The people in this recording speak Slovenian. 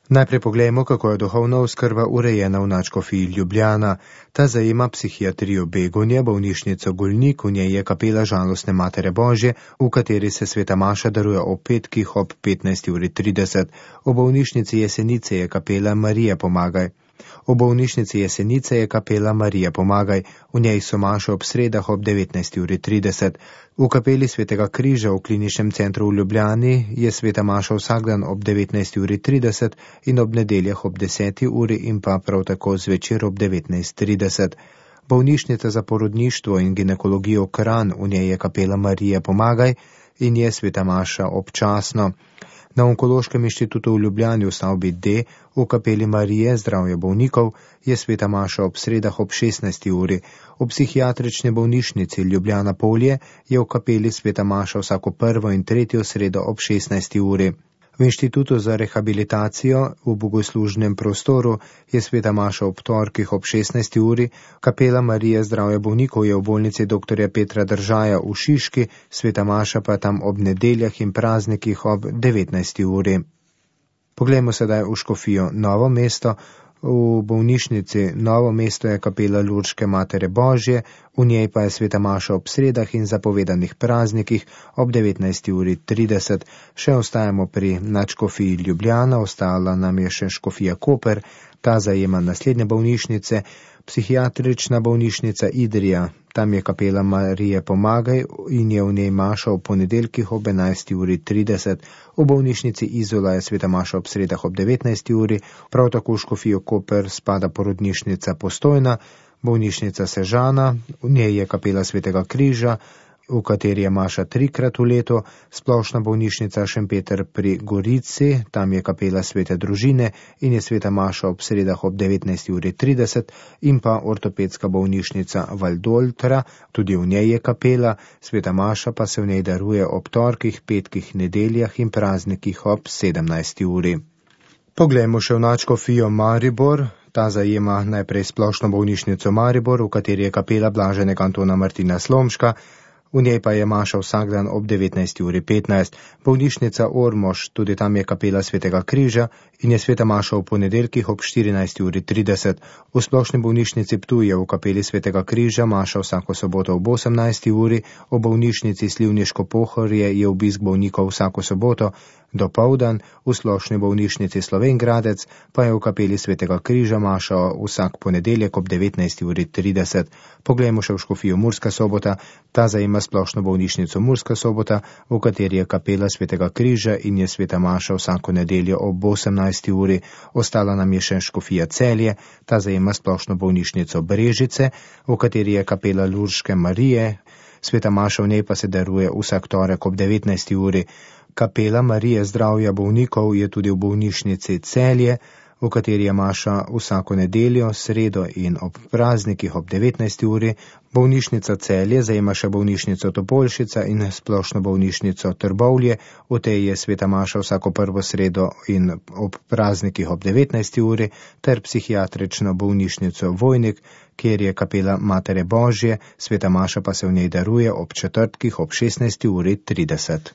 Najprej poglejmo, kako je duhovna oskrba urejena v nadškofiji Ljubljana. Ta zajema psihiatrijo Begonje, bolnišnico Golnik, v njej je kapela Žalostne Matere Božje, v kateri se sveta maša daruje ob petkih ob 15:30. V bolnišnici Jesenice je kapela Marija Pomagaj. V bolnišnici Jesenice je kapela Marija Pomagaj, v njej so maše ob sredah ob 19:30. V kapeli Svetega križa v kliničnem centru v Ljubljani je sveta maša vsak dan ob 19:30 in ob nedeljah ob 10. uri in pa prav tako zvečer ob 19:30. Bolnišnica za porodništvo in ginekologijo Kranj, v njej je kapela Marija Pomagaj in je sveta maša občasno. Na Onkološkem inštitutu v Ljubljani v stavbi D v kapeli Marije zdravje bolnikov je sveta maša ob sredah ob 16. uri. V psihiatrični bolnišnici Ljubljana Polje je v kapeli sveta maša vsako prvo in tretjo sredo ob 16. uri. V inštitutu za rehabilitacijo v bogoslužnem prostoru je sveta maša ob torkih ob 16. uri, kapela Marije zdravje bolnikov je v bolnici dr. Petra Držaja v Šiški, sveta maša pa tam ob nedeljah in praznikih ob 19. uri. Poglejmo sedaj v škofijo Novo mesto. V bolnišnici Novo mesto je kapela Lurške Matere Božje, v njej pa je sveta maša ob sredah in zapovedanih praznikih ob 19:30. Še ostajamo pri nadškofiji Ljubljana, ostala nam je še škofija Koper, ta zajema naslednje bolnišnice, psihiatrična bolnišnica Idrija, tam je kapela Marije Pomagaj in je v njej maša ob ponedeljkih ob 11:30. V bolnišnici Izola je sveta maša ob sredah ob 19. uri, prav tako v škofijo Koper spada porodnišnica Postojna, bolnišnica Sežana, v njej je kapela Svetega križa, v kateri je maša 3-krat v letu, splošna bolnišnica Šempeter pri Gorici, tam je kapela Svete družine in je sveta maša ob sredah ob 19:30 in pa ortopedska bolnišnica Valdoltra, tudi v njej je kapela, sveta maša pa se v njej daruje ob torkih, petkih, nedeljah in praznikih ob 17. uri. Poglejmo še v nadškofijo Maribor. Ta zajema najprej splošno bolnišnico Maribor, v kateri je kapela Blaženega Antona Martina Slomška, v njej pa je maša vsak dan ob 19:15. Bolnišnica Ormož, tudi tam je kapela Svetega križa in je sveta maša v ponedeljkih ob 14:30. V splošni bolnišnici Ptuj je v kapeli Svetega križa maša vsako soboto ob 18. uri, v bolnišnici Slivniško Pohorje je obisk bolnikov vsako soboto dopoldan, v splošni bolnišnici Slovenj Gradec pa je v kapeli Svetega križa maša vsak ponedeljek ob 19:30. Poglejmo še v škofijo Murska Sobota, ta zajema splošno bolnišnico Murska Sobota, v kateri je kapela Svetega križa in je sveta maša vsako nedeljo ob 18. uri. Ostala nam je še škofija Celje, ta zajema splošno bolnišnico Brežice, v kateri je kapela Lurške Marije, sveta maša v njej pa se daruje vsak torek ob 19. uri. Kapela Marije zdravja bolnikov je tudi v bolnišnici Celje, v kateri je maša vsako nedeljo, sredo in ob praznikih ob 19. uri. Bolnišnica Celje zajema še bolnišnico Topolšica in splošno bolnišnico Trbovlje, v tej je sveta maša vsako prvo sredo in ob praznikih ob 19. uri, ter psihiatrično bolnišnico Vojnik, kjer je kapela Matere Božje, sveta maša pa se v njej daruje ob četrtkih ob 16:30.